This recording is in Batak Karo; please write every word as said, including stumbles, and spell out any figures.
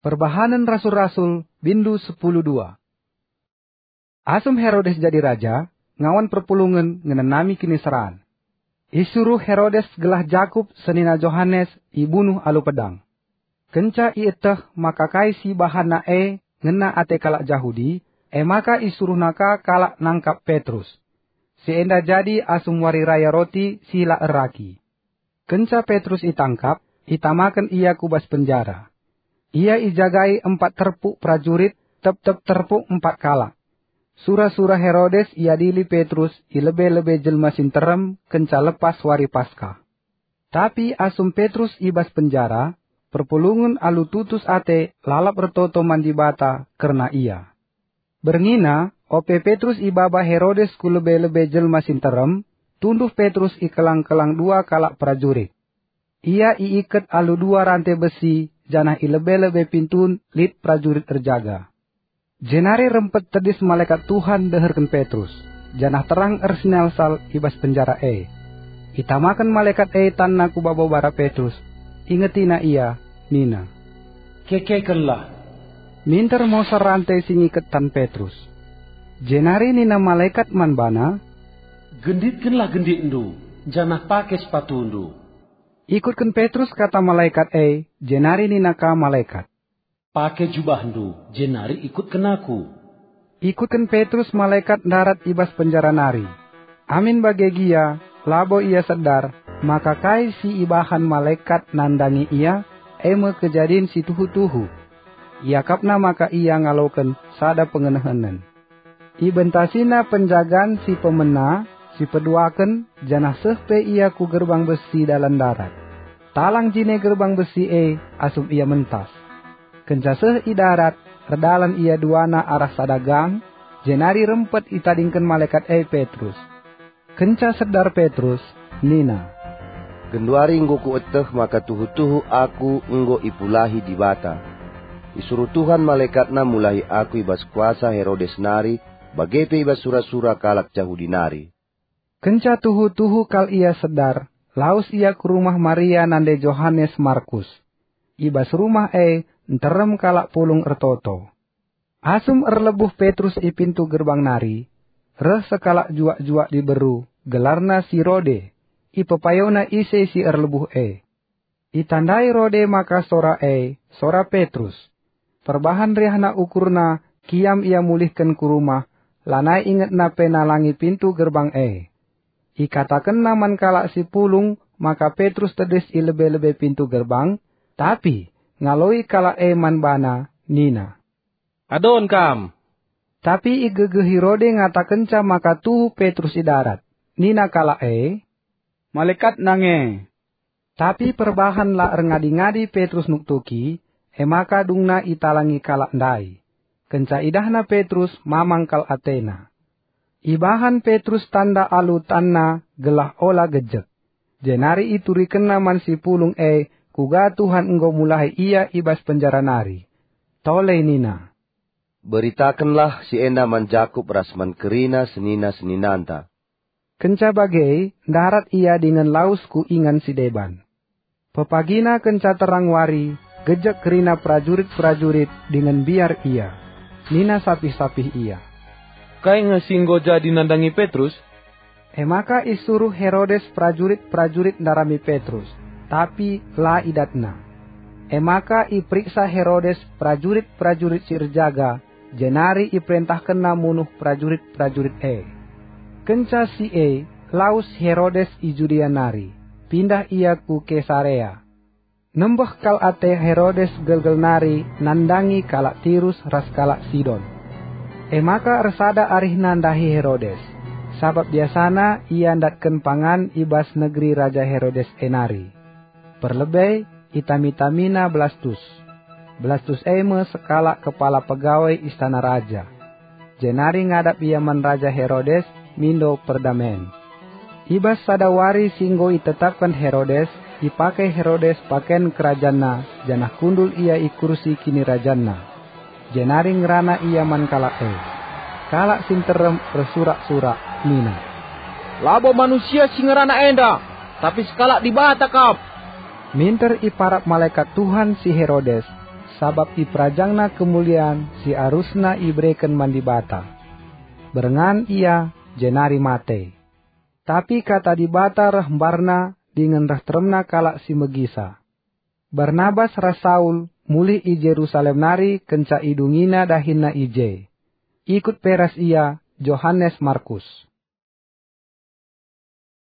Perbahanen Rasul-Rasul, bindu sepuluh dua. Asum Herodes jadi raja, ngawan perpulungen ngenanami kiniseran. Isuruh Herodes gelah Jakup senina Johanes ibunuh alu pedang. Kenca ieteh maka kai si ibahanna e ngena ate kalak Jahudi, e maka isuruhna ka kalak nangkap Petrus. Si enda jadi asum Wari Raya Roti si la erragi. Kenca Petrus itangkap, itamaken ia ku bas penjara. Ia ijagai empat terpuk perajurit, tep-tep terpuk empat kalak. Sura-sura Herodes iadili Petrus i lebe-lebe jelma si nterem kenca lepas wari Paskah. Tapi asum Petrus i bas penjara, perpulungen alu tutus ate lalap ertoto man Dibata kerna ia. Berngina, ope Petrus ibaba Herodes ku lebe-lebe jelma si nterem, tunduh Petrus i kelang-kelang dua kalak perajurit. Ia iiket alu dua rante besi, janah i lebe-lebe pintun lit perajurit erjaga. Jenari rempet tedis malekat Tuhan ndeherken Petrus, janah terang ersinalsal i bas penjara e. Itamaken malekat e tanna ku babo bara Petrus, ingetina ia, nina, "Kekekenlah!" Minter moser rante si ngiket tan Petrus. Jenari nina malekat man bana, "Genditkenlah genditndu, janah pake sepatundu." Ikutken Petrus kata malekat e, jenari nina ka malekat, "Pake jubahndu, jenari ikutken aku." Ikutken Petrus malekat ndarat i bas penjara nari. Amin bage gia, labo ia sedar, maka kai si ibahan malekat nandangi ia, e me kejadin si tuhu-tuhu. Iakapna maka ia ngaloken sada pengenehenen. Ibentasina penjagan si pemena, si peduaken, janah seh pe ia ku gerbang besi dalan ndarat. Talang jine gerbang besi e asum ia mentas. Kenca seh i darat, erdalan ia duana arah sada gang, jenari rempet itadingken malekat e Petrus. Kenca sedar Petrus, nina, "Genduari enggo kueteh maka tuhu-tuhu aku enggo ipulahi Dibata. Isuruh Tuhan malekatNa mulahi aku i bas kuasa Herodes nari, bage pe i bas sura-sura kalak Jahudi nari." Kenca tuhu-tuhu kal ia sedar, lawes ia ku rumah Maria nande Johanes Markus. I bas rumah e nterem kalak pulung ertoto. Asum erlebuh Petrus i pintu gerbang nari, reh sekalak juak-juak diberu, gelarna si Rode. Ipepayona ise si erlebuh e. Itandai Rode maka sora e, sora Petrus. Perbahan riahna ukurna, kiam ia mulihken ku rumah, lanai ingetna pe nalangi pintu gerbang e. Ikatakenna man kalak si pulung maka Petrus tedis i lebe-lebe pintu gerbang, tapi ngaloi kalak e man bana nina, "Adon kam!" Tapi igegehi Rode ngatakenca maka tuhu Petrus i darat. Nina kalak e, "Malekat nange." Tapi perbahan la erngadi-ngadi Petrus nuktuki, e maka dungna italangi kalak ndai. Kenca idahna Petrus, mamang kal atena. Ibahan Petrus tanda alu tanna gelah ola gejek. Jenari iturikenna man si pulung e kuga Tuhan enggo mulahi ia i bas penjara nari. Tole nina, "Beritakenlah si enda man Jakup ras man kerina senina-seninanta." Kenca bage, ndarat ia dingen lawes ku ingan si deban. Pepagina kenca terang wari, gejek kerina perajurit-perajurit dingen mbiar ia. Nina sapih-sapih ia, "Kai nge si enggo jadi nandangi Petrus?" E maka isuruh Herodes perajurit-perajurit ndarami Petrus, tapi la idatna. E maka iperiksa Herodes perajurit-perajurit si erjaga, jenari iperentahkenna munuh perajurit-perajurit e. Kenca si e, lawes Herodes i Judea nari, pindah ia ku Kesarea. Nembeh kal ate Herodes gelgel nari nandangi kalak Tirus ras kalak Sidon. E maka ersada arihna ndahi Herodes, sabap biasana ia ndatken pangan i bas negeri Raja Herodes e nari. Perlebe itami-tamina Blastus. Blastus e me sekalak kepala pegawai istana raja. Jenari ngadap ia man Raja Herodes mindo perdamen. I bas sada wari si enggo itetapken Herodes, ipake Herodes paken kerajanna, janah kundul ia i kursi kinirajanna. Jenari ngerana ia man kalak e. Kalak si nterem ersurak-surak nina, "Labo manusia si ngerana enda, tapi sekalak Dibata kap!" Minter iparap malekat Tuhan si Herodes, sabap iperajangna kemulian si arusna ibereken man Dibata. Berngan ia, jenari mate. Tapi Kata Dibata reh mbarna dingen reh teremna kalak si megisa. Barnabas ras Saul mulih i Jerusalem nari kenca idungina dahinna i je. Ikut pe ras ia Johanes Markus.